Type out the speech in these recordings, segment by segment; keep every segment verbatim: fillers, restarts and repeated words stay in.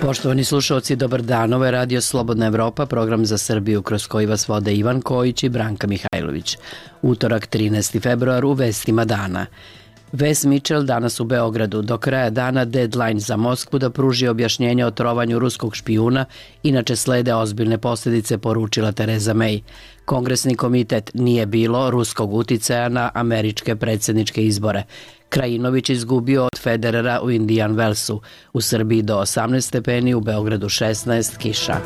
Poštovani slušalci, dobar dan. Ovo je Radio Slobodna Evropa, program za Srbiju kroz koji vas vode Ivan Kojić i Branka Mihajlović. Utorak, trinaesti februar, u vestima dana. Wes Mitchell danas u Beogradu. Do kraja dana deadline za Moskvu da pruži objašnjenje o trovanju ruskog špijuna, inače slede ozbiljne posljedice, poručila Tereza May. Kongresni komitet nije bilo ruskog uticaja na američke predsjedničke izbore. Krajinović izgubio od Federera u Indian Wellsu. U Srbiji do osamnaest stepeni, u Beogradu šesnaest, kiša.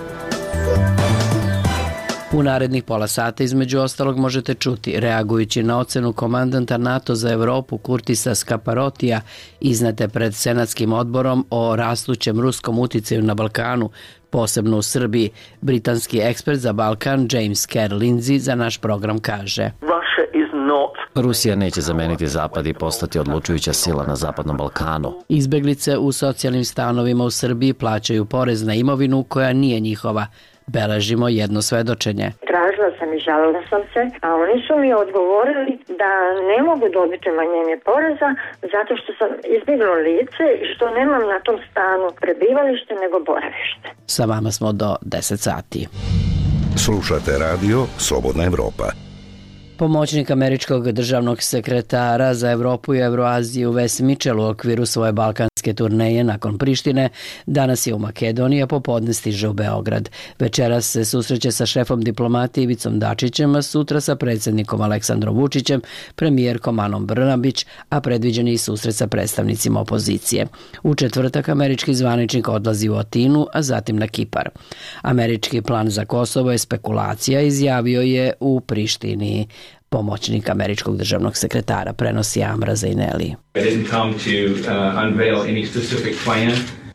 U narednih pola sata između ostalog možete čuti, reagujući na ocenu komandanta NATO za Evropu Kurtisa Skaparotija iznete pred Senatskim odborom o rastućem ruskom uticaju na Balkanu, posebno u Srbiji, britanski ekspert za Balkan James Kerr Lindsay za naš program kaže: Rusija neće zameniti Zapad i postati odlučujuća sila na Zapadnom Balkanu. Izbeglice u socijalnim stanovima u Srbiji plaćaju porez na imovinu koja nije njihova. Beležimo jedno svedočenje. Tražila sam i žalila sam se, a oni su mi odgovorili da ne mogu dobiti umanjenje poreza zato što sam izbjeglo lice i što nemam na tom stanu prebivalište nego boravište. Sa vama smo do deset sati. Slušate radio Slobodna Evropa. Pomoćnik američkog državnog sekretara za Evropu i Evroaziju Wes Mitchell u okviru svoje balkanske turneje nakon Prištine danas je u Makedoniji, a popodne stiže u Beograd. Večeras se susreće sa šefom diplomatije Ivicom Dačićem, a sutra sa predsjednikom Aleksandrom Vučićem, premijerkom Anom Brnabić, a predviđen je i susret sa predstavnicima opozicije. U četvrtak američki zvaničnik odlazi u Atinu, a zatim na Kipar. Američki plan za Kosovo je spekulacija, izjavio je u Prištini pomoćnik američkog državnog sekretara, prenosi Amra Zaineli.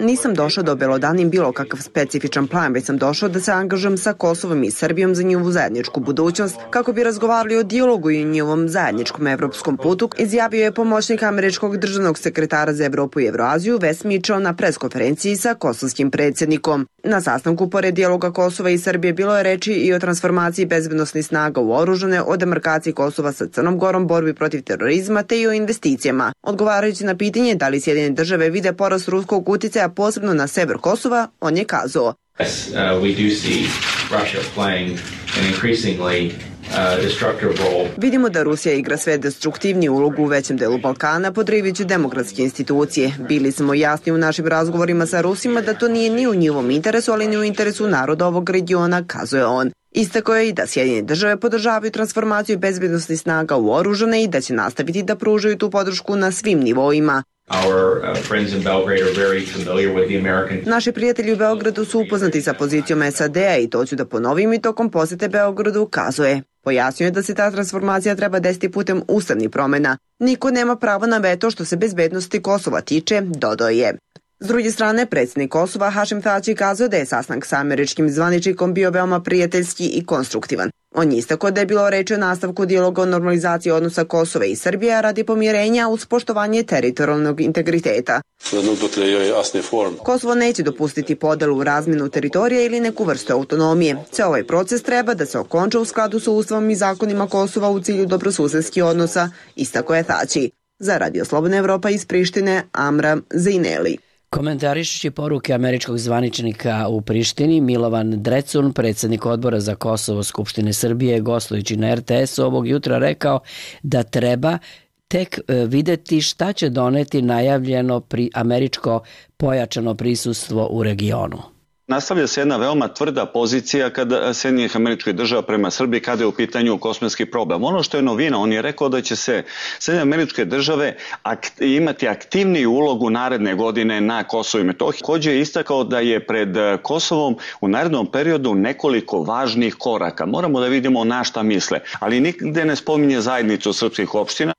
Nisam došao da obelodanim bilo kakav specifičan plan, već sam došao da se angažujem sa Kosovom i Srbijom za njihovu zajedničku budućnost, kako bi razgovarali o dijalogu i o njihovom zajedničkom evropskom putu, izjavio je pomoćnik američkog državnog sekretara za Evropu i Evroaziju Wes Mitchell na preskonferenciji sa kosovskim predsjednikom. Na sastanku pored dijaloga Kosova i Srbije bilo je reči i o transformaciji bezbednosnih snaga u oružane, o demarkaciji Kosova sa Crnom Gorom, borbi protiv terorizma te i o investicijama. Odgovarajući na pitanje da li Sjedinjene države vide porast ruskog uticaja posebno na sever Kosova, on je kazao: Yes, uh, we do see Russia playing an increasingly uh, destructive role. Vidimo da Rusija igra sve destruktivniju ulogu u većem delu Balkana, podrivajući demokratske institucije. Bili smo jasni u našim razgovorima sa Rusima da to nije ni u njihovom interesu, ali ni u interesu naroda ovog regiona, kazuje on. Istakao je i da Sjedinjene države podržavaju transformaciju bezbednosnih snaga u oružane i da će nastaviti da pružaju tu podršku na svim nivoima. Our uh, friends in Belgrade are very familiar with the American... Naši prijatelji u Beogradu su upoznati sa pozicijom S A D-a i to ću da ponovim i tokom posete Beogradu, kazuje. Pojasnio je da se ta transformacija treba desiti putem ustavnih promjena. Niko nema pravo na veto što se bezbednosti Kosova tiče, dodao je. S druge strane, predsjednik Kosova Hašim Tači kazao da je sastanak sa američkim zvaničnikom bio veoma prijateljski i konstruktivan. On je istakao da je bilo reči o nastavku dijaloga o normalizaciji odnosa Kosova i Srbije radi pomirenja uz poštovanje teritorijalnog integriteta. Kosovo neće dopustiti podelu u razmjenu teritorija ili neku vrstu autonomije. Ceo ovaj proces treba da se okonča u skladu sa ustavom i zakonima Kosova u cilju dobrosusedskih odnosa, istakao je Tači. Za Radio Slobodna Evropa iz Prištine, Amra Zaineli. Komentarišući poruke američkog zvaničnika u Prištini, Milovan Drecun, predsjednik odbora za Kosovo Skupštine Srbije, gostujući na R T S ovog jutra rekao da treba tek videti šta će doneti najavljeno pri američko pojačano prisustvo u regionu. Nastavlja se jedna veoma tvrda pozicija kada Sjedinjenih Američkih Država prema Srbiji kada je u pitanju kosovski problem. Ono što je novina, on je rekao da će se Sjedinjene Američke Države akt, imati aktivniju ulogu naredne godine na Kosovu i Metohiji. Također je istakao da je pred Kosovom u narednom periodu nekoliko važnih koraka. Moramo da vidimo na šta misle, ali nigde ne spominje zajednicu srpskih opština.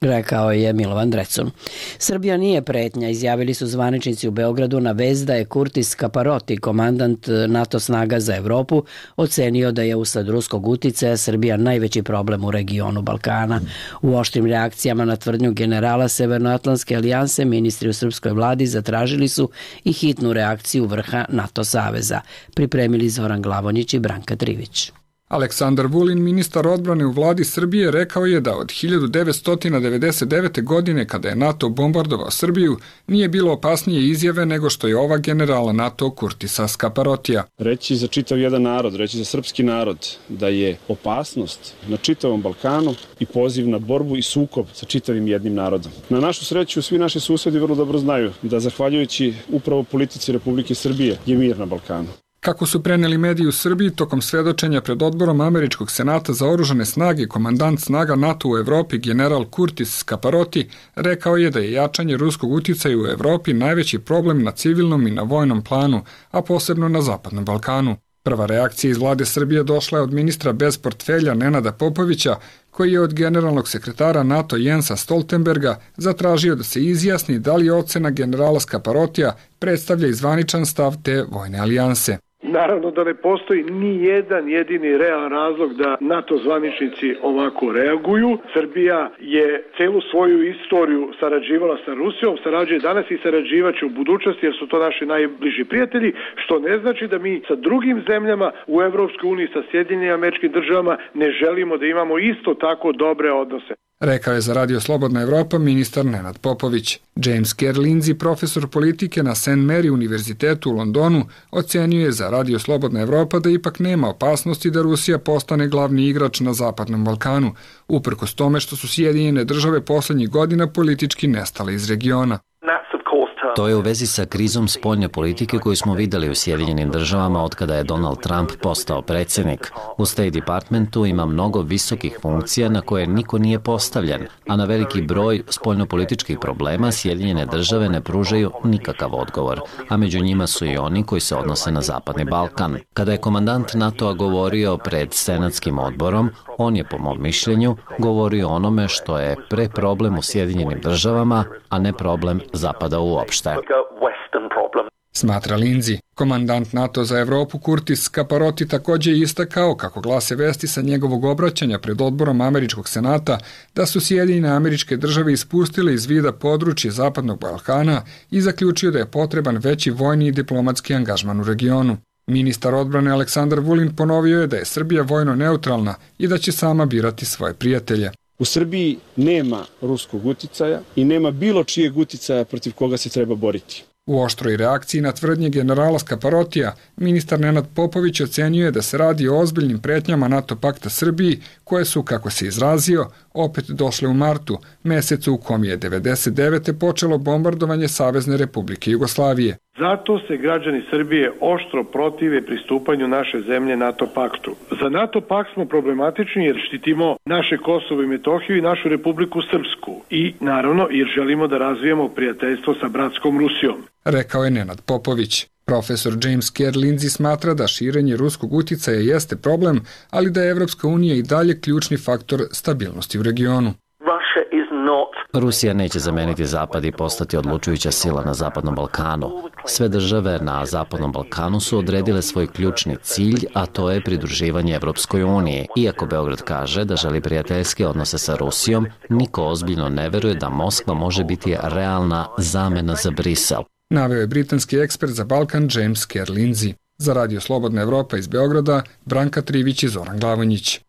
Rekao je Milovan Drecun. Srbija nije pretnja, izjavili su zvaničnici u Beogradu na vez da je Kurtis Skaparoti, komandant NATO snaga za Evropu, ocenio da je usled ruskog uticaja Srbija najveći problem u regionu Balkana. U oštrim reakcijama na tvrdnju generala Severnoatlantske alijanse, ministri u srpskoj vladi zatražili su i hitnu reakciju vrha NATO saveza. Pripremili Zoran Glavonjić i Branka Trivić. Aleksandar Vulin, ministar odbrane u vladi Srbije, rekao je da od hiljadu devetsto devedeset devete. godine, kada je NATO bombardovao Srbiju, nije bilo opasnije izjave nego što je ova generala NATO Kurtisa Skaparotija. Reći za čitav jedan narod, reći za srpski narod da je opasnost na čitavom Balkanu i poziv na borbu i sukob sa čitavim jednim narodom. Na našu sreću, svi naši susedi vrlo dobro znaju da zahvaljujući upravo politici Republike Srbije je mir na Balkanu. Kako su preneli mediji u Srbiji, tokom svedočenja pred odborom Američkog senata za oružane snage, komandant snaga NATO u Evropi general Kurtis Skaparoti rekao je da je jačanje ruskog uticaja u Evropi najveći problem na civilnom i na vojnom planu, a posebno na Zapadnom Balkanu. Prva reakcija iz vlade Srbije došla je od ministra bez portfelja Nenada Popovića, koji je od generalnog sekretara NATO Jensa Stoltenberga zatražio da se izjasni da li ocena generala Skaparotija predstavlja i zvaničan stav te vojne alijanse. Naravno da ne postoji ni jedan jedini realan razlog da NATO zvaničnici ovako reaguju. Srbija je celu svoju istoriju sarađivala sa Rusijom, sarađuje danas i sarađivaće u budućnosti jer su to naši najbliži prijatelji, što ne znači da mi sa drugim zemljama u Evropskoj uniji, sa Sjedinjenim Američkim Državama ne želimo da imamo isto tako dobre odnose. Rekao je za Radio Slobodna Evropa ministar Nenad Popović. James Kerr Lindsay, profesor politike na Saint Mary univerzitetu u Londonu, ocenio je za Radio Slobodna Evropa da ipak nema opasnosti da Rusija postane glavni igrač na Zapadnom Balkanu, uprkos tome što su Sjedinjene Države poslednjih godina politički nestale iz regiona. To je u vezi sa krizom spoljne politike koju smo videli u Sjedinjenim Državama od kada je Donald Trump postao predsjednik. U State Departmentu ima mnogo visokih funkcija na koje niko nije postavljen, a na veliki broj spoljnopolitičkih problema Sjedinjene Države ne pružaju nikakav odgovor, a među njima su i oni koji se odnose na Zapadni Balkan. Kada je komandant NATO-a govorio pred Senatskim odborom, on je, po mom mišljenju, govorio o onome što je pre problem u Sjedinjenim Državama, a ne problem Zapada uopšte. Smatra Lindsay. Komandant NATO za Evropu Kurtis Skaparoti takođe je istakao, kako glase vesti sa njegovog obraćanja pred odborom Američkog senata, da su Sjedinjene Američke Države ispustile iz vida područje Zapadnog Balkana i zaključio da je potreban veći vojni i diplomatski angažman u regionu. Ministar odbrane Aleksandar Vulin ponovio je da je Srbija vojno neutralna i da će sama birati svoje prijatelje. U Srbiji nema ruskog uticaja i nema bilo čijeg uticaja protiv koga se treba boriti. U oštroj reakciji na tvrdnje generala Skaparotija, ministar Nenad Popović ocenio je da se radi o ozbiljnim pretnjama NATO pakta Srbiji, koje su, kako se izrazio, opet došle u martu, mesecu u kom je devedeset devete počelo bombardovanje Savezne Republike Jugoslavije. Zato se građani Srbije oštro protive pristupanju naše zemlje NATO paktu. Za NATO pakt smo problematični jer štitimo naše Kosovo i Metohiju i našu Republiku Srpsku i naravno jer želimo da razvijemo prijateljstvo sa bratskom Rusijom. Rekao je Nenad Popović. Profesor James Kerr Lindsay smatra da širenje ruskog uticaja jeste problem, ali da je Evropska unija i dalje ključni faktor stabilnosti u regionu. Rusija neće zameniti Zapad i postati odlučujuća sila na Zapadnom Balkanu. Sve države na Zapadnom Balkanu su odredile svoj ključni cilj, a to je pridruživanje Evropskoj uniji. Iako Beograd kaže da želi prijateljske odnose sa Rusijom, niko ozbiljno ne veruje da Moskva može biti realna zamena za Brisel. Naveo je britanski ekspert za Balkan James Kerr Lindsay. Za Radio Slobodna Evropa iz Beograda, Branka Trivić i Zoran Glavonjić.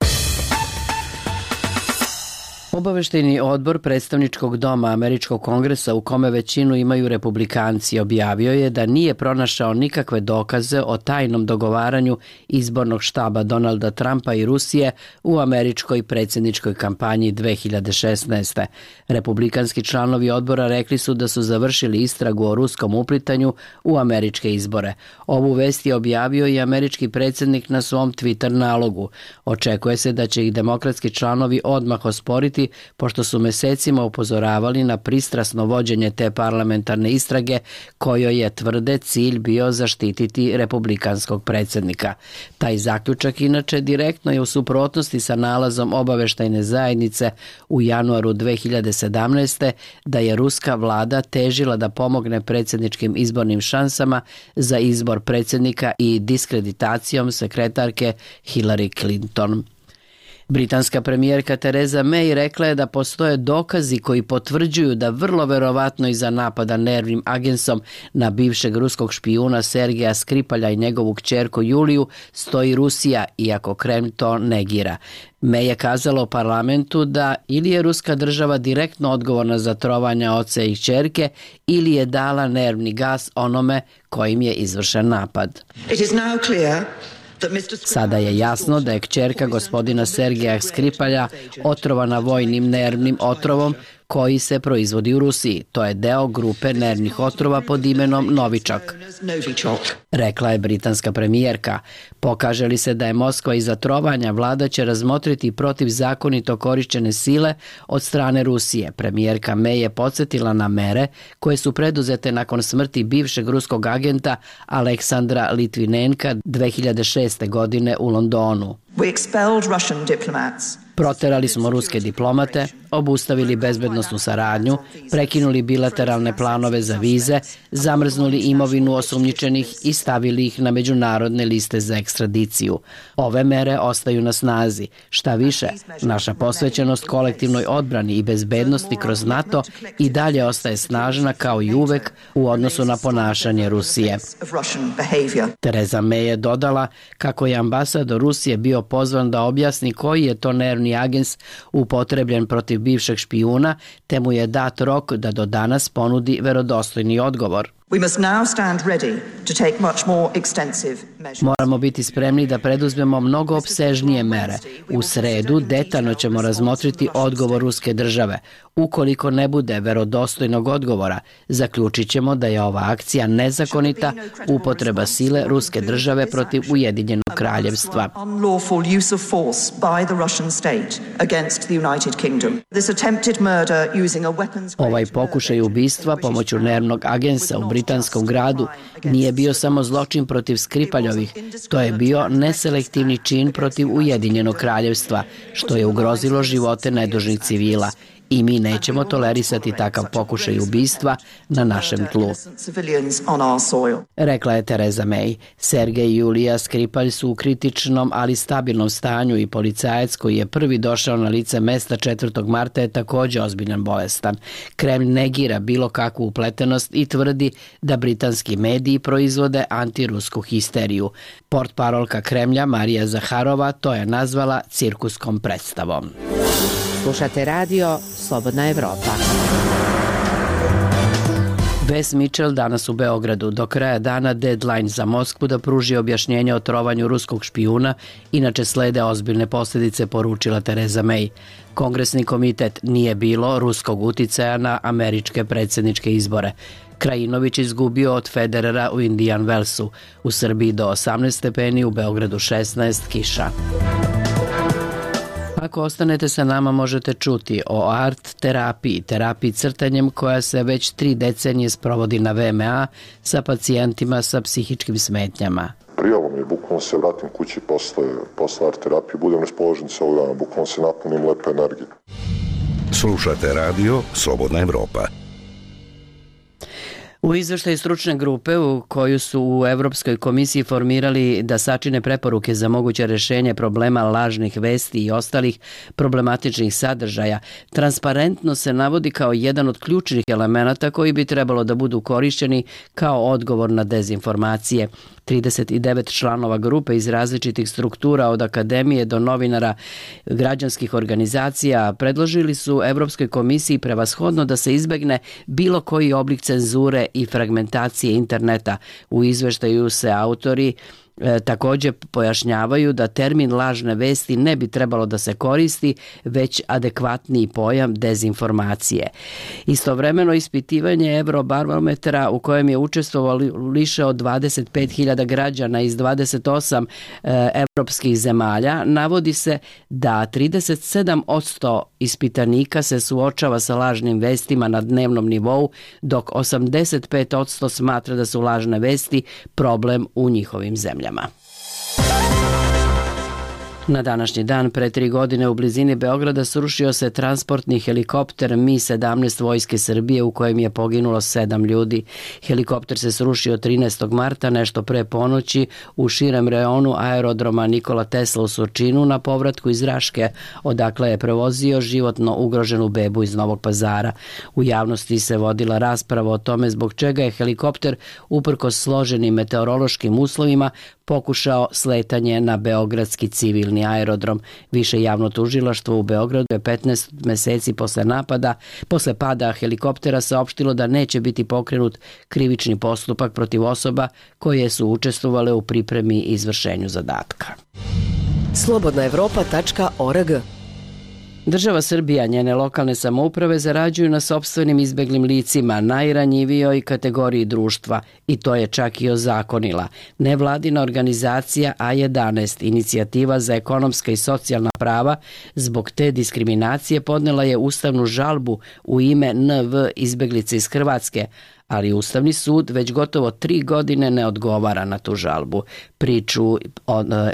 Obaveštajni odbor predstavničkog doma Američkog kongresa, u kome većinu imaju republikanci, objavio je da nije pronašao nikakve dokaze o tajnom dogovaranju izbornog štaba Donalda Trumpa i Rusije u američkoj predsjedničkoj kampanji dve hiljade šesnaeste. Republikanski članovi odbora rekli su da su završili istragu o ruskom uplitanju u američke izbore. Ovu vest je objavio i američki predsjednik na svom Twitter nalogu. Očekuje se da će ih demokratski članovi odmah osporiti, pošto su mesecima upozoravali na pristrasno vođenje te parlamentarne istrage, kojoj je, tvrde, cilj bio zaštititi republikanskog predsjednika. Taj zaključak inače direktno je u suprotnosti sa nalazom obaveštajne zajednice u januaru dve hiljade sedamnaeste. da je ruska vlada težila da pomogne predsjedničkim izbornim šansama za izbor predsjednika i diskreditacijom sekretarke Hillary Clinton. Britanska premijerka Theresa May rekla je da postoje dokazi koji potvrđuju da vrlo verovatno iza napada nervnim agensom na bivšeg ruskog špijuna Sergeja Skripalja i njegovu kćerku Juliju stoji Rusija, iako Kremlj to negira. May je kazala u parlamentu da ili je ruska država direktno odgovorna za trovanja oca i kćerke ili je dala nervni gas onome kojim je izvršen napad. Sada je jasno da je kćerka gospodina Sergeja Skripalja otrovana vojnim nervnim otrovom koji se proizvodi u Rusiji. To je deo grupe nervnih otrova pod imenom Novičok, rekla je britanska premijerka. Pokaže li se da je Moskva iza trovanja, vlada će razmotriti protivzakonito korišćene sile od strane Rusije. Premijerka May je podsjetila na mere koje su preduzete nakon smrti bivšeg ruskog agenta Aleksandra Litvinenka dve hiljade šeste. godine u Londonu. Proterali smo ruske diplomate, obustavili bezbednosnu saradnju, prekinuli bilateralne planove za vize, zamrznuli imovinu osumnjičenih i stavili ih na međunarodne liste za ekstradiciju. Ove mere ostaju na snazi. Šta više, naša posvećenost kolektivnoj odbrani i bezbednosti kroz NATO i dalje ostaje snažna kao i uvek u odnosu na ponašanje Rusije. Theresa May je dodala kako je ambasador Rusije bio pozvan da objasni koji je to nervni agens upotrebljen protiv bivšeg špijuna, te mu je dat rok da do danas ponudi verodostojni odgovor. Moramo biti spremni da preduzmemo mnogo opsežnije mere. U sredu detaljno ćemo razmotriti odgovor ruske države. Ukoliko ne bude verodostojnog odgovora, zaključit ćemo da je ova akcija nezakonita upotreba sile ruske države protiv Ujedinjenog kraljevstva. Ovaj pokušaj ubistva pomoću nervnog agensa u britanskom gradu nije bio samo zločin protiv Skripaljovih, to je bio neselektivni čin protiv Ujedinjenog kraljevstva, što je ugrozilo živote nedužnih civila. I mi nećemo tolerisati takav pokušaj ubistva na našem tlu, rekla je Theresa May. Sergej i Julija Skripalj su u kritičnom, ali stabilnom stanju i policajac koji je prvi došao na lice mesta četvrtog marta je također ozbiljan bolestan. Kremlj negira bilo kakvu upletenost i tvrdi da britanski mediji proizvode antirusku histeriju. Portparolka Kremlja Marija Zaharova to je nazvala cirkuskom predstavom. Slušate radio Slobodna Evropa. Wes Mitchell danas u Beogradu. Do kraja dana deadline za Moskvu da pruži objašnjenje o trovanju ruskog špijuna, inače slede ozbiljne posljedice, poručila Theresa May. Kongresni komitet nije bilo ruskog uticaja na američke predsjedničke izbore. Krajinović izgubio od Federera u Indian Wellsu. U Srbiji do osamnaest stepeni, u Beogradu šesnaest, kiša. Ako ostanete sa nama možete čuti o art terapiji, terapiji crtanjem koja se već tri decenije sprovodi na V M A sa pacijentima sa psihičkim smetnjama. Prijelo mi je, bukvalno se vratim kući posle, posle art terapije, budem raspoložen celog dana, bukvalno se napunim lepe energije. Slušate radio Slobodna Evropa. U izveštaju stručne grupe u koju su u Evropskoj komisiji formirali da sačine preporuke za moguće rešenje problema lažnih vesti i ostalih problematičnih sadržaja, transparentno se navodi kao jedan od ključnih elemenata koji bi trebalo da budu korišćeni kao odgovor na dezinformacije. trideset devet članova grupe iz različitih struktura od akademije do novinara građanskih organizacija predložili su Evropskoj komisiji prevashodno da se izbegne bilo koji oblik cenzure i fragmentacije interneta. U izveštaju se autori E, također pojašnjavaju da termin lažne vesti ne bi trebalo da se koristi, već adekvatniji pojam dezinformacije. Istovremeno ispitivanje Eurobarometra u kojem je učestvovalo više od dvadeset pet hiljada građana iz dvadeset osam e, evropskih zemalja navodi se da trideset sedam posto ispitanika se suočava sa lažnim vestima na dnevnom nivou, dok osamdeset pet posto smatra da su lažne vesti problem u njihovim zemljama. Na današnji dan pre tri godine u blizini Beograda srušio se transportni helikopter Mi sedamnaest Vojske Srbije u kojem je poginulo sedam ljudi. Helikopter se srušio trinaestog marta nešto pre ponoći u širem reonu aerodroma Nikola Tesla u Surčinu na povratku iz Raške, odakle je prevozio životno ugroženu bebu iz Novog Pazara. U javnosti se vodila rasprava o tome zbog čega je helikopter uprkos složenim meteorološkim uslovima pokušao sletanje na beogradski civilni aerodrom. Više javno tužilaštvo u Beogradu je petnaest meseci posle napada, posle pada helikoptera saopštilo da neće biti pokrenut krivični postupak protiv osoba koje su učestvovale u pripremi i izvršenju zadatka. slobodna evropa tačka org. Država Srbija, njene lokalne samouprave zarađuju na sopstvenim izbeglim licima, najranjivijoj kategoriji društva, i to je čak i ozakonila. Nevladina organizacija A jedanaest, Inicijativa za ekonomska i socijalna prava, zbog te diskriminacije podnela je ustavnu žalbu u ime N V izbeglice iz Hrvatske, ali Ustavni sud već gotovo tri godine ne odgovara na tu žalbu. Priču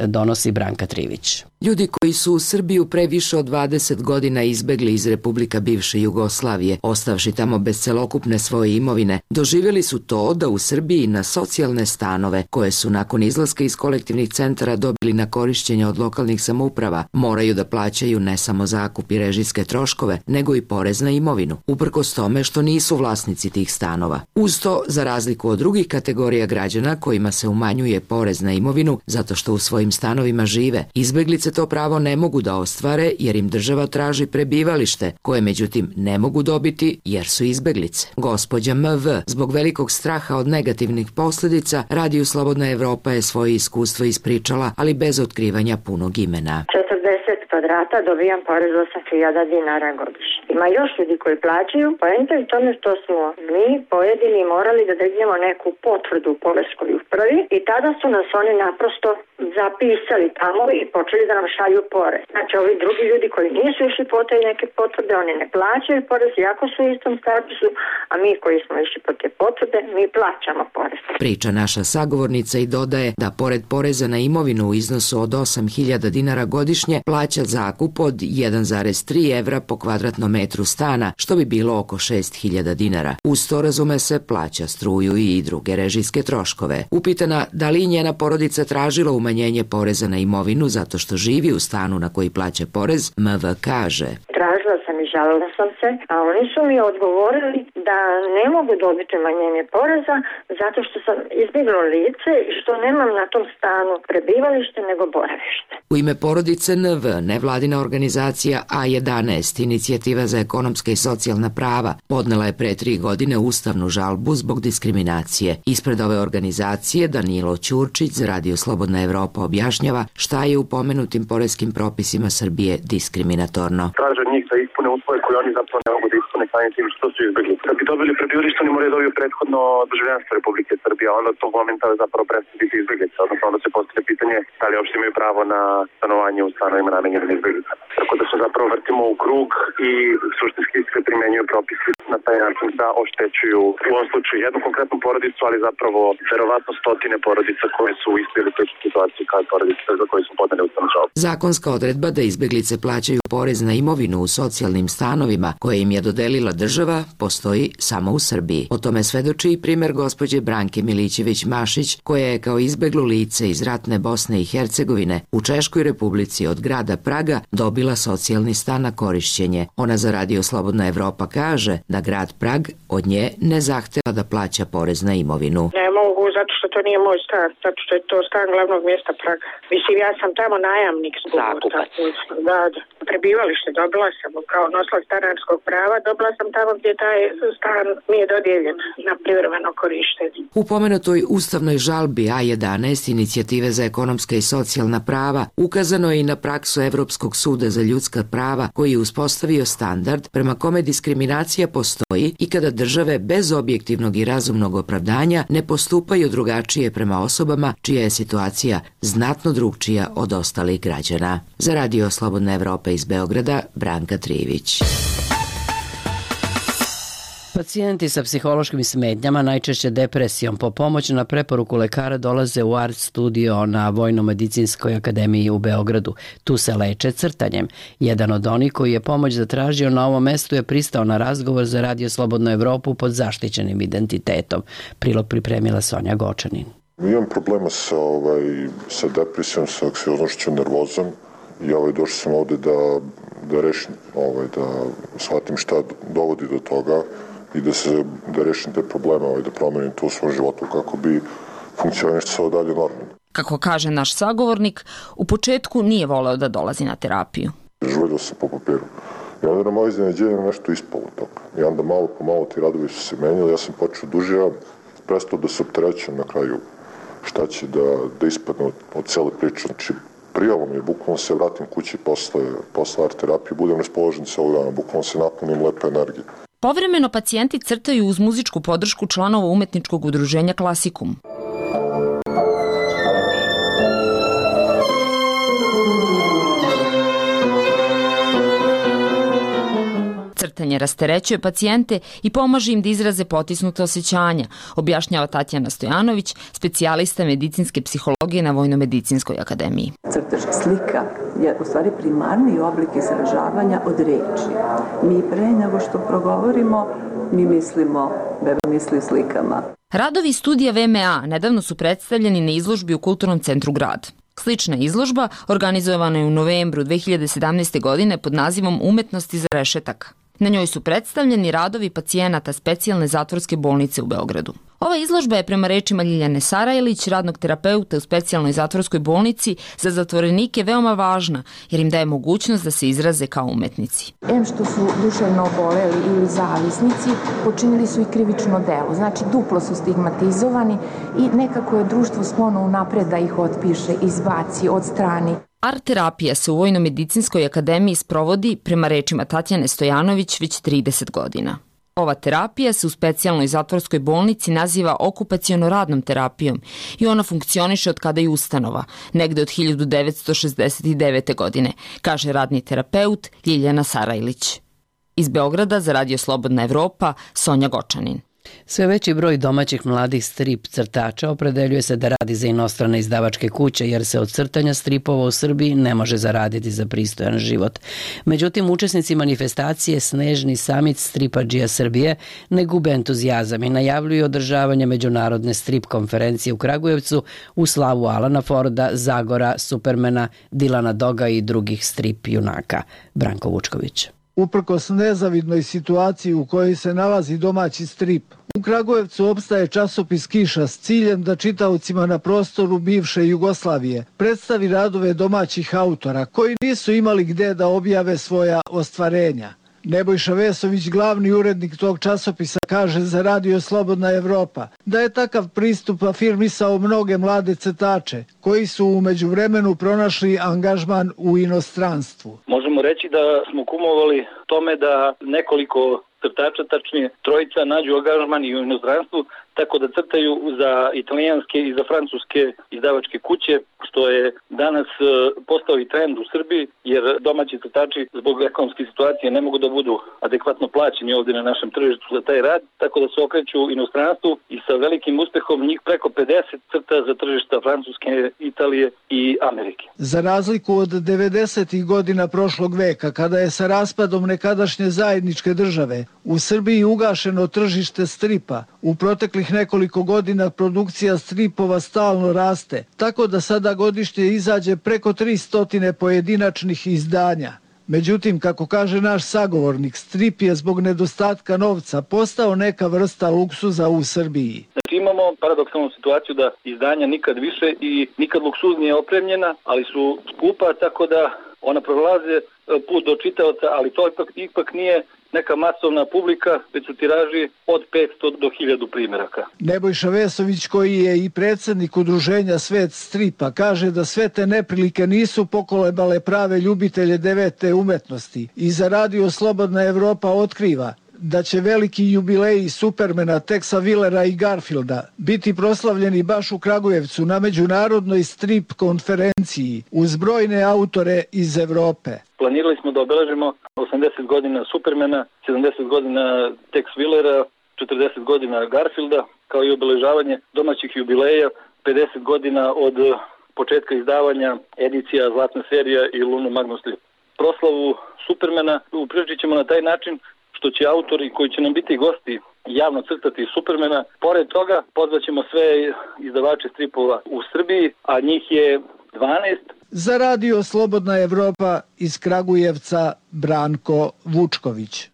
donosi Branka Trivić. Ljudi koji su u Srbiju pre više od dvadeset godina izbegli iz Republika bivše Jugoslavije, ostavši tamo bez celokupne svoje imovine, doživjeli su to da u Srbiji na socijalne stanove, koje su nakon izlaska iz kolektivnih centara dobili na korišćenje od lokalnih samouprava, moraju da plaćaju ne samo zakup i režijske troškove, nego i porez na imovinu, uprkos tome što nisu vlasnici tih stanova. Uz to, za razliku od drugih kategorija građana kojima se umanjuje porez na imovinu zato što u svojim stanovima žive, izbeglice to pravo ne mogu da ostvare jer im država traži prebivalište, koje međutim ne mogu dobiti jer su izbeglice. Gospođa M V, zbog velikog straha od negativnih posljedica, Radiju Slobodna Evropa je svoje iskustvo ispričala, ali bez otkrivanja punog imena. četrdeset kvadrata dobijam porez osam hiljada dinara godišnje. Ima još ljudi koji plaćaju, poenta je u tome što smo mi pojedini morali da dignemo neku potvrdu u poreskoj upravi i tada su nas oni naprosto zapisali tamo i počeli da nam šalju porez. Znači, ovi drugi ljudi koji nisu išli po te neke potvrde, oni ne plaćaju porez, iako su u istom statusu, a mi koji smo išli po te potvrde, mi plaćamo porez. Priča naša sagovornica i dodaje da pored poreza na imovinu u iznosu od osam hiljada dinara godišnje plaća zakup od jedan zarez tri evra po kvadratnom metru stana, što bi bilo oko šest hiljada dinara. Uz to, razume se, plaća struju i druge režijske troškove. Upitana da li njena porodica tražila umanjenje poreza na imovinu zato što živi u stanu na koji plaća porez, M V kaže: Tražila sam i žalila sam se, a oni su mi odgovorili da ne mogu dobiti umanjenje poreza zato što sam izbjeglo lice i što nemam na tom stanu prebivalište nego boravište. U ime porodice N V, nevladina organizacija A jedanaest, Inicijativa za ekonomska i socijalna prava, podnela je pre tri godine ustavnu žalbu zbog diskriminacije. Ispred ove organizacije Danilo Ćurčić za Radio Slobodna Evropa objašnjava šta je u pomenutim poreskim propisima Srbije diskriminatorno. Traže njih da ispune uslove koje oni zapravo ne mogu da ispune samim tim što su izbjegli. Da bi dobili prebivalište, oni moraju dobiti prethodno državljanstvo Republike Srbije, a onda to momenta zapravo prestati biti izbjeglica. Odnosno onda se postavlja pitanje da li uopšte imaju pravo na stanovanje u stanovima namenjenim izbjeglicama. Tako da se zapravo vrtimo u krug i suštinski se primenjuju propisi na taj način da oštećuju u ovom slučaju jednu konkretnu porodicu, ali zapravo verovatno stotine porodica koje su u istoj ili sličnoj situaciji kao porodice za koje su podane ustavnu žalbu. Zakonska odredba da izbeglice plaćaju porez na imovinu u socijalnim stanovima koje im je dodelila država postoji samo u Srbiji. O tome svedoči i primer gospođe Branke Milićević-Mašić, koja je kao izbeglo lice iz ratne Bosne i Hercegovine u Češkoj Republici od grada Praga dobila socijalni stan na korišćenje. Ona za Radio Slobodna Evropa kaže da grad Prag od nje ne zahteva da plaća porez na imovinu. Ne mogu, zato što to nije moj stan, zato što je to stan glavnog mjesta Praga. Mislim, ja sam tamo najamnik. Zakupac. Da, da. Prebivalište dobila sam kao nosila stanarskog prava, dobila sam tamo gdje taj stan mi je dodijeljen na privremeno korištenje. U pomenutoj ustavnoj žalbi A jedanaest, Inicijative za ekonomska i socijalna prava, ukazano je i na praksu Evropskog suda za ljudska prava koji je uspostavio standard prema kome diskriminacija postoji i kada države bez objektivnog i razumnog opravdanja ne postupaju drugačije prema osobama čija je situacija znatno drugčija od ostalih građana. Za Radio Slobodna Evropa iz Beograda, Branka Trivić. Pacijenti sa psihološkim smetnjama, najčešće depresijom, po pomoć na preporuku lekara dolaze u Art studio na Vojno-medicinskoj akademiji u Beogradu. Tu se leče crtanjem. Jedan od onih koji je pomoć zatražio na ovom mestu je pristao na razgovor za Radio Slobodnu Evropu pod zaštićenim identitetom. Prilog pripremila Sonja Gočanin. Imam problema sa, ovaj, sa depresijom, sa anksioznošću, nervozom i ovaj, došao sam ovde da, da rešim, ovaj, da shvatim šta dovodi do toga i da se da rešim te probleme, ovaj, da promenim to u svom životu kako bi funkcionisao dalje normalno. Kako kaže naš sagovornik, u početku nije voleo da dolazi na terapiju. Žuljio sam po papiru. I onda na moje iznenađenje nešto ispalo toga. I onda malo po malo ti radovi su se menjali, ja sam počeo dužio, prestao da se opterećujem na kraju šta će da, da ispadne od, od cele priče. Znači, prijalo mi je, bukvalno se vratim kući posle, posle art terapije, budem raspoložen celog dana, bukvalno se napunim lepe energije. Povremeno pacijenti crtaju uz muzičku podršku članova umetničkog udruženja Klasikum. Crtanje rasterećuje pacijente i pomaže im da izraze potisnute osjećanja, objašnjava Tatjana Stojanović, specijalista medicinske psihologije na Vojno-medicinskoj akademiji. Crtež slika je u stvari primarni oblik izražavanja od reči. Mi pre nego što progovorimo, mi mislimo, beba misli slikama. Radovi studija V M A nedavno su predstavljeni na izložbi u Kulturnom centru Grad. Slična izložba organizovana je u novembru dve hiljade sedamnaeste. godine pod nazivom Umetnost iza rešetaka. Na njoj su predstavljeni radovi pacijenata specijalne zatvorske bolnice u Beogradu. Ova izložba je prema rečima Ljiljane Sarajlić, radnog terapeuta u specijalnoj zatvorskoj bolnici, za zatvorenike veoma važna jer im daje mogućnost da se izraze kao umetnici. Em što su duševno oboleli ili zavisnici, počinili su i krivično delo. Znači duplo su stigmatizovani i nekako je društvo sklono unapred da ih otpiše, izbaci, odstrani. Art terapija se u Vojno-medicinskoj akademiji sprovodi, prema rečima Tatjane Stojanović, već trideset godina. Ova terapija se u specijalnoj zatvorskoj bolnici naziva okupaciono-radnom terapijom i ona funkcioniše od kada je ustanova, negde od hiljadu devetsto šezdeset devete. godine, kaže radni terapeut Ljiljana Sarajlić. Iz Beograda za Radio Slobodna Evropa, Sonja Gočanin. Sve veći broj domaćih mladih strip crtača opredeljuje se da radi za inostrane izdavačke kuće jer se od crtanja stripova u Srbiji ne može zaraditi za pristojan život. Međutim, učesnici manifestacije Snežni samit stripadžija Srbije ne gube entuzijazam i najavljuju održavanje međunarodne strip konferencije u Kragujevcu u slavu Alana Forda, Zagora, Supermana, Dilana Doga i drugih strip junaka. Branko Vučković. Uprkos nezavidnoj situaciji u kojoj se nalazi domaći strip, u Kragujevcu opstaje časopis Kiša s ciljem da čitaocima na prostoru bivše Jugoslavije predstavi radove domaćih autora koji nisu imali gde da objave svoja ostvarenja. Nebojša Vesović, glavni urednik tog časopisa, kaže za Radio Slobodna Evropa da je takav pristup afirmisao mnoge mlade crtače koji su u međuvremenu pronašli angažman u inostranstvu. Možemo reći da smo kumovali tome da nekoliko crtača, tačnije trojica, nađu angažman i u inostranstvu, tako da crtaju za italijanske i za francuske izdavačke kuće, što je danas postao i trend u Srbiji, jer domaći crtači zbog ekonomske situacije ne mogu da budu adekvatno plaćeni ovdje na našem tržištu za taj rad, tako da se okreću u inostranstvu i sa velikim uspehom njih preko pedeset crta za tržišta Francuske, Italije i Amerike. Za razliku od devedesetih godina prošlog veka, kada je sa raspadom nekadašnje zajedničke države u Srbiji ugašeno tržište stripa, u proteklih nekoliko godina produkcija stripova stalno raste, tako da sada godišnje izađe preko tristo pojedinačnih izdanja. Međutim, kako kaže naš sagovornik, strip je zbog nedostatka novca postao neka vrsta luksuza u Srbiji. Znači imamo paradoksalnu situaciju da izdanja nikad više i nikad luksuznije opremljena, ali su skupa, tako da ona prolaze put do čitaoca, ali to ipak, ipak nije neka masovna publika, već su tiraži od petsto do hiljadu primjeraka. Nebojša Vesović, koji je i predsjednik udruženja Svet stripa, kaže da sve te neprilike nisu pokolebale prave ljubitelje devete umetnosti i za Radio Slobodna Evropa otkriva da će veliki jubileji Supermana, Texa Willera i Garfielda biti proslavljeni baš u Kragujevcu na međunarodnoj strip konferenciji uz brojne autore iz Evrope. Planirali smo da obeležimo osamdeset godina Supermana, sedamdeset godina Tex Willera, četrdeset godina Garfielda, kao i obeležavanje domaćih jubileja, pedeset godina od početka izdavanja edicija Zlatna serija i Luno Magnus Lip. Proslavu Supermana upriličit ćemo na taj način što će autori koji će nam biti gosti javno crtati Supermana. Pored toga pozvaćemo sve izdavače stripova u Srbiji, a njih je dvanaest. Za Radio Slobodna Evropa iz Kragujevca Branko Vučković.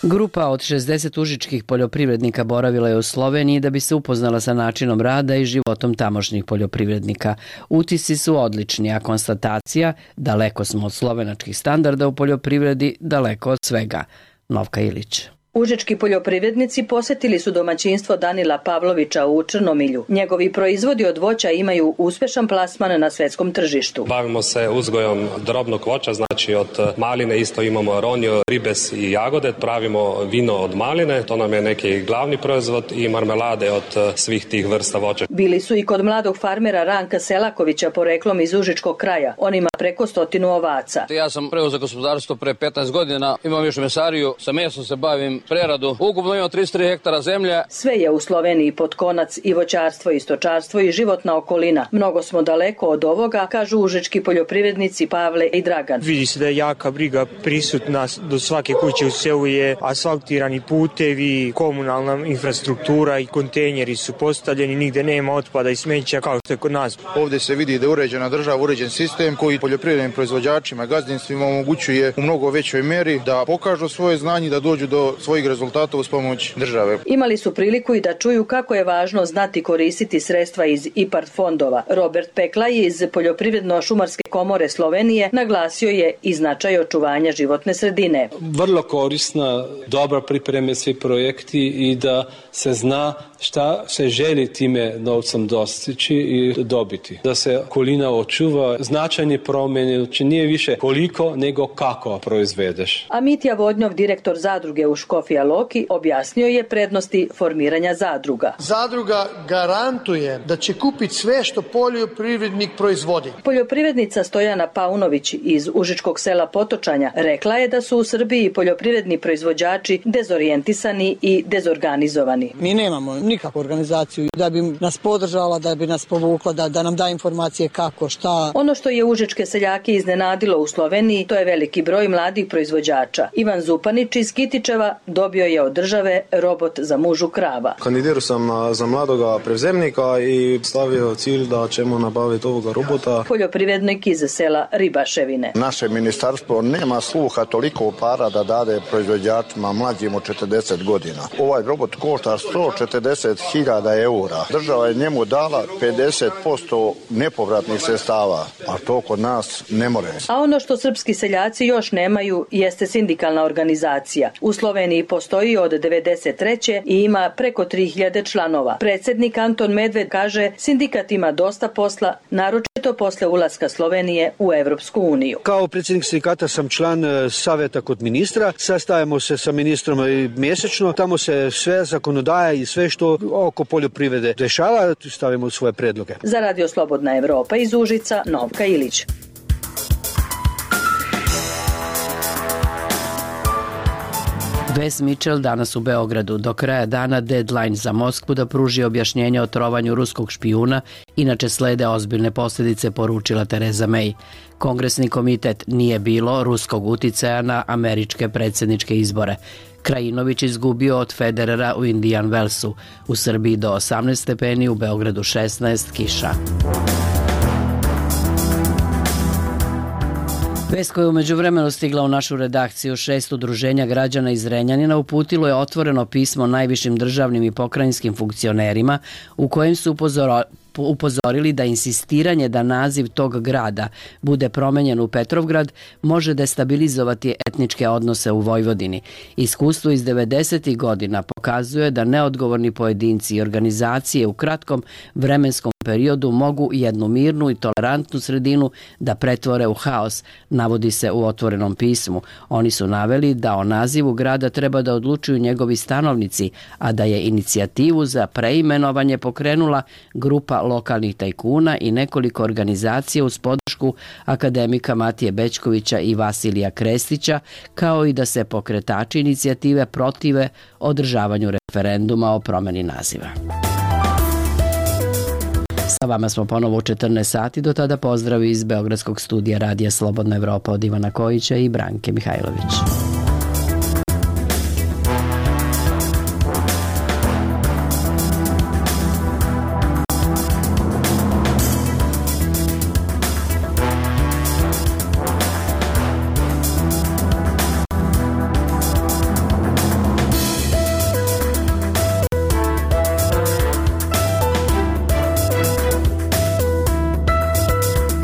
Grupa od šezdeset užičkih poljoprivrednika boravila je u Sloveniji da bi se upoznala sa načinom rada i životom tamošnjih poljoprivrednika. Utisci su odlični, a konstatacija daleko smo od slovenačkih standarda u poljoprivredi, daleko od svega. Novka Ilić. Užički poljoprivrednici posetili su domaćinstvo Danila Pavlovića u Črnomilju. Njegovi proizvodi od voća imaju uspešan plasman na svetskom tržištu. Bavimo se uzgojom drobnog voća, znači od maline isto imamo ronju, ribes i jagode. Pravimo vino od maline, to nam je neki glavni proizvod, i marmelade od svih tih vrsta voća. Bili su i kod mladog farmera Ranka Selakovića, poreklom iz Užičkog kraja. On ima preko stotinu ovaca. Ja sam preuzeo gospodarstvo pre petnaest godina, imam još mesariju, sa mesom se bavim, preradu. Ukupno imamo trideset tri hektara zemlje. Sve je u Sloveniji pod konac, i voćarstvo, i stočarstvo, i životna okolina. Mnogo smo daleko od ovoga, kažu užički poljoprivrednici Pavle i Dragan. Vidi se da je jaka briga prisutna, do svake kuće u selu je asfaltirani putevi, komunalna infrastruktura i kontejneri su postavljeni, nigde nema otpada i smeća kao što je kod nas. Ovde se vidi da je uređena država, uređen sistem koji poljoprivrednim proizvođačima i gazdinstvima omogućuje u mnogo većoj meri da pokažu svoje znanje, da dođu do svojih rezultata uz pomoć države. Imali su priliku i da čuju kako je važno znati koristiti sredstva iz I P A R D fondova. Robert Peklaj iz Poljoprivredno-šumarske komore Slovenije naglasio je i značaj očuvanja životne sredine. Vrlo korisna, dobra pripreme svi projekti i da se zna šta se želi time novcem dostići i dobiti. Da se okolina očuva, značajne promjene, znači nije više koliko nego kako proizvedeš. A Mitja Vodnjov, direktor zadruge u Škofja Loki, objasnio je prednosti formiranja zadruga. Zadruga garantuje da će kupiti sve što poljoprivrednik proizvodi. Poljoprivrednica Stojana Paunović iz užičkog sela Potočanja rekla je da su u Srbiji poljoprivredni proizvođači dezorijentisani i dezorganizovani. Mi nemamo nikakvu organizaciju da bi nas podržala, da bi nas povukla, da, da nam da informacije kako, šta. Ono što je užičke seljake iznenadilo u Sloveniji, to je veliki broj mladih proizvođača. Ivan Zupanić iz Kitičeva dobio je od države robot za mužu krava. Kandidirao sam za mladoga prevzemnika i stavio cilj da ćemo nabaviti ovoga robota. Poljoprivrednik iz sela Ribaševine. Naše ministarstvo nema sluha toliko para da dade proizvođačima mlađim od četrdeset godina. Ovaj robot košta sto četrdeset hiljada eura. Država je njemu dala pedeset posto nepovratnih sredstava, a to kod nas ne more. A ono što srpski seljaci još nemaju jeste sindikalna organizacija. U Sloveniji postoji od devedeset treće i ima preko tri hiljade članova. Predsjednik Anton Medved kaže sindikat ima dosta posla, naročito posle ulaska Slovenije u Evropsku uniju. Kao predsjednik sindikata sam član savjeta kod ministra, sastajemo se sa ministrom mjesečno, tamo se sve zakonodaja i sve što oko poljoprivrede dešava, stavimo svoje predloge. Za Radio Slobodna Evropa iz Užica, Novka Ilić. Wes Mitchell danas u Beogradu. Do kraja dana deadline za Moskvu da pruži objašnjenje o trovanju ruskog špijuna, inače slede ozbiljne posljedice, poručila Tereza May. Kongresni komitet nije bilo ruskog uticaja na američke predsjedničke izbore. Krajinović izgubio od Federera u Indian Wellsu. U Srbiji do osamnaest stepeni, u Beogradu šesnaest, kiša. Vest koja je umeđu vremenu stigla u našu redakciju, šest udruženja građana iz Renjanina uputilo je otvoreno pismo najvišim državnim i pokrajinskim funkcionerima u kojem su upozoro, upozorili da insistiranje da naziv tog grada bude promenjen u Petrovgrad može destabilizovati etničke odnose u Vojvodini. Iskustvo iz devedesetih godina pokazuje da neodgovorni pojedinci i organizacije u kratkom vremenskom periodu mogu jednu mirnu i tolerantnu sredinu da pretvore u haos, navodi se u otvorenom pismu. Oni su naveli da o nazivu grada treba da odlučuju njegovi stanovnici, a da je inicijativu za preimenovanje pokrenula grupa lokalnih tajkuna i nekoliko organizacija uz podršku akademika Matije Bećkovića i Vasilija Krestića, kao i da se pokretači inicijative protive održavanju referenduma o promeni naziva. Sa vama smo ponovo u četrnaest sati, do tada pozdrav iz Beogradskog studija Radija Slobodna Evropa od Ivana Kojića i Branke Mihajlović.